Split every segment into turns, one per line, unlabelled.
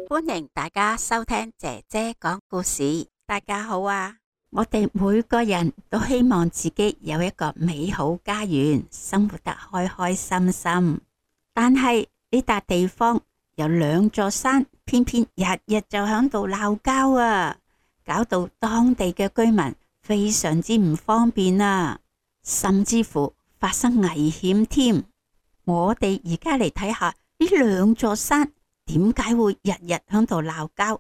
歡迎大家收聽姐姐講故事。大家好啊！我哋每個人都希望自己有一個美好家園，生活得開開心心。但係呢笪地方有兩座山，偏偏日日就響度鬧交啊，搞到當地嘅居民非常之唔方便啊，甚至乎發生危險添。我哋而家嚟睇下呢兩座山點解會日日響度鬧交。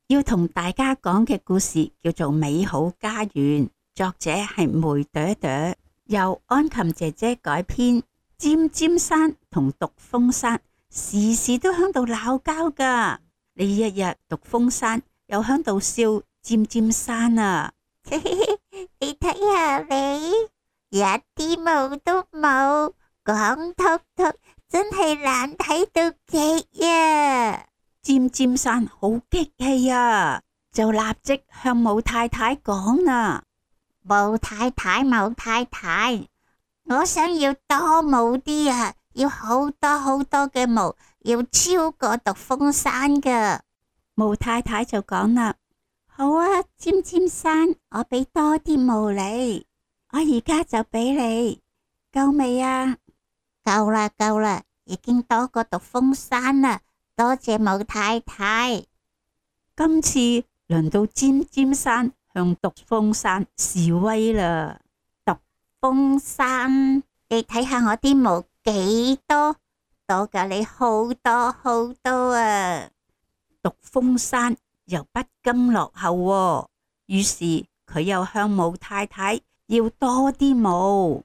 要同大家講嘅故事叫做《美好家園》，作者係梅朵朵，由安琴姐姐改編。尖尖山同獨峰山時時都響度鬧交噶，呢一日獨峰山又響度笑尖尖山啊！
你睇下你，一啲毛都冇，光禿禿，真係難睇到極呀！
尖尖山好激氣啊，就立即向武太太講啦：
武太太，武太太，我想要多毛啲啊，要好多好多嘅毛，要超過獨峰山噶。
武太太就講啦：好啊，尖尖山，我俾多啲毛你，我而家就俾你，夠未啊？
夠啦，夠啦，已經多過獨峰山啦。多謝武太太。
今次輪到尖尖山向獨峰山示威啦。
獨峰山，你睇下我啲毛幾多，多過你好多好多啊！
獨峰山又不甘落後，於是佢又向武太太要多啲毛。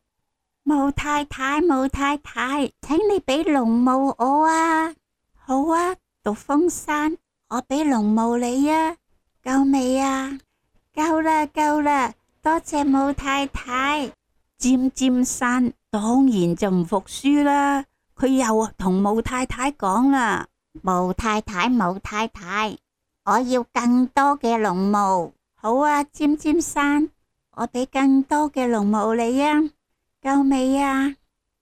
武太太，武太太，請你俾龍毛我啊！好啊，獨峰山，我俾龍毛你啊，夠未啊？夠啦，夠啦，多謝武太太。
尖尖山當然就唔服輸啦，佢又同武太太講啦：
武太太，武太太，我要更多嘅龍毛。
好啊，尖尖山，我俾更多嘅龍毛你啊，夠未啊？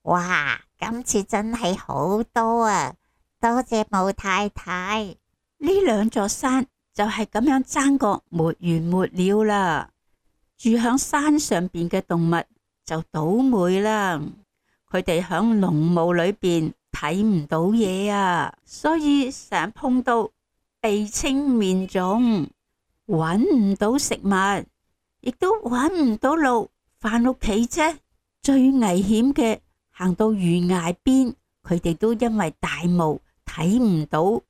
哇，今次真係好多啊！多謝武太太。
呢兩座山就係咁樣爭個沒完沒了啦。住響山上邊嘅動物就倒霉啦，佢哋響濃霧裏邊睇唔到嘢啊，所以成日碰到鼻青面腫，搵唔到食物，亦都搵唔到路返屋企啫。最危險嘅，行到懸崖邊，佢哋都因為大霧睇唔到，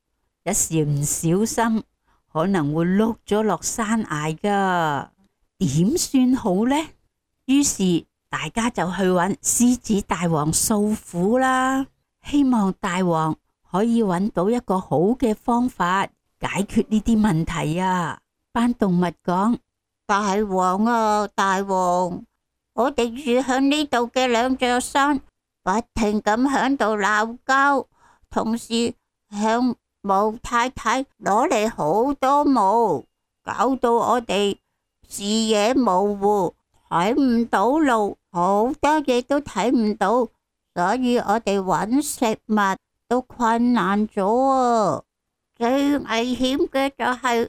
一時唔小心可能會碌咗落山崖噶，點算好呢？於是大家就去揾獅子大王訴苦啦，希望大王可以揾到一個好嘅方法解決呢啲問題啊！班動物講：
大王啊，大王，我哋住響呢度嘅兩座山不停咁響度鬧交，同時向武太太攞嚟好多毛，搞到我哋視野模糊，睇唔到路，好多嘢都睇唔到，所以我哋揾食物都困難咗啊！最危險嘅就係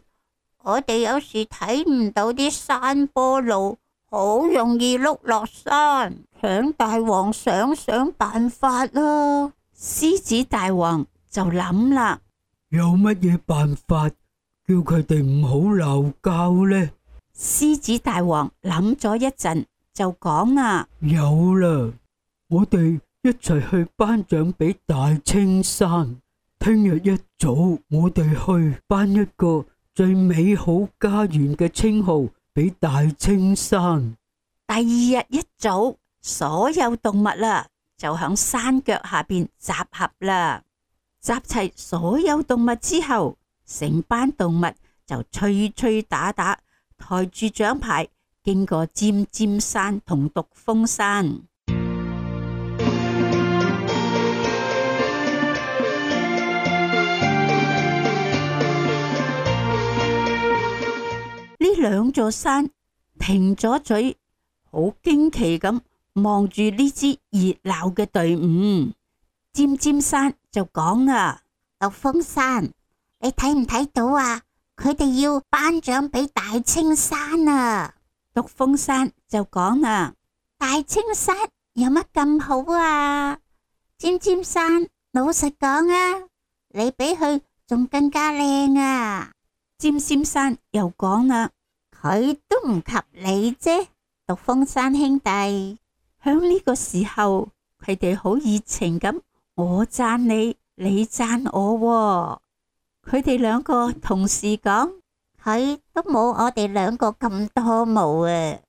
我哋有時睇唔到啲山坡路，好容易碌落山，請大王想辦法啦！
獅子大王就諗啦，
有乜嘢辦法叫佢哋唔好鬧交呢？
獅子大王諗咗一陣就講啦：
有啦，我哋一齊去頒獎俾大青山。聽日一早我哋去頒一個最美好家園嘅稱號俾大青山。
第二日一早，所有動物啦就響山腳下邊集合啦。集齊所有動物之後，成班動物就吹吹打打，抬住獎牌經過尖尖山同獨峰山。呢兩座山停咗嘴，好驚奇咁望住呢支熱鬧嘅隊伍。尖尖山就講啦：
獨峰山，你睇唔睇到啊？佢哋要頒獎俾大青山啊！
獨峰山就講啦：
大青山有乜咁好啊？尖尖山，老實講啊，你比佢仲更加靚啊！
尖尖山又講啦：
佢都唔及你啫，獨峰山兄弟。
響呢個時候，佢哋好熱情咁，我讚你，你讚我喎。佢哋兩個同時講：
佢都冇我哋兩個咁多毛啊！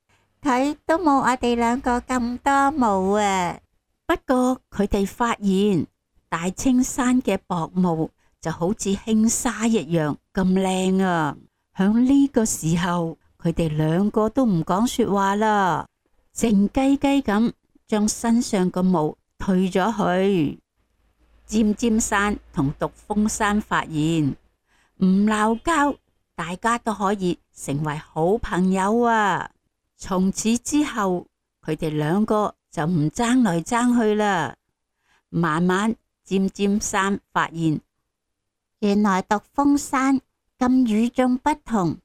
佢都冇我哋兩個咁多毛啊！
不過佢哋發現大青山嘅薄毛就好似輕紗一樣咁靚啊！響呢個時候，佢哋兩個都唔講說話啦，靜雞雞咁將身上個毛退咗去。尖尖山同獨峰山發現唔鬧交，大家都可以成為好朋友啊！從此之後，佢哋兩個就唔爭來爭去啦。慢慢，尖尖山發現，
原來獨峰山咁與眾不同，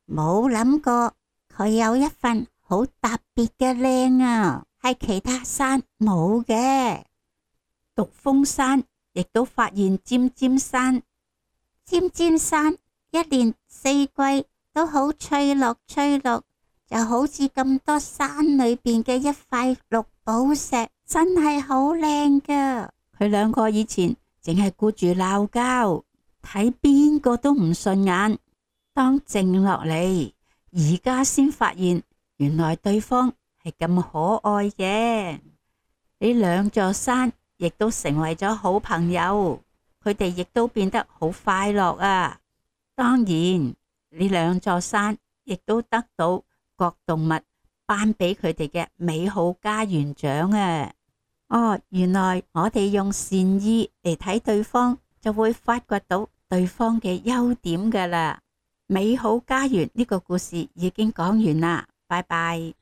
冇諗過佢有一份好特別嘅靚啊，係其他山冇嘅。
獨峰山亦都發現尖尖山，
尖尖山一年四季都好翠綠翠綠，就好似咁多山裏邊嘅一塊綠寶石，真係好靚噶。
佢兩個以前淨係顧住鬧交，睇邊個都唔順眼。當靜落嚟，而家先發現原來對方係咁可愛嘅。呢兩座山亦都成為咗好朋友，佢哋亦都變得好快樂啊！當然，呢兩座山亦都得到各動物頒俾佢哋嘅美好家園獎啊！哦，原來我哋用善意嚟睇對方，就會發掘到對方嘅優點噶啦。美好家園呢個故事已經講完啦，拜拜。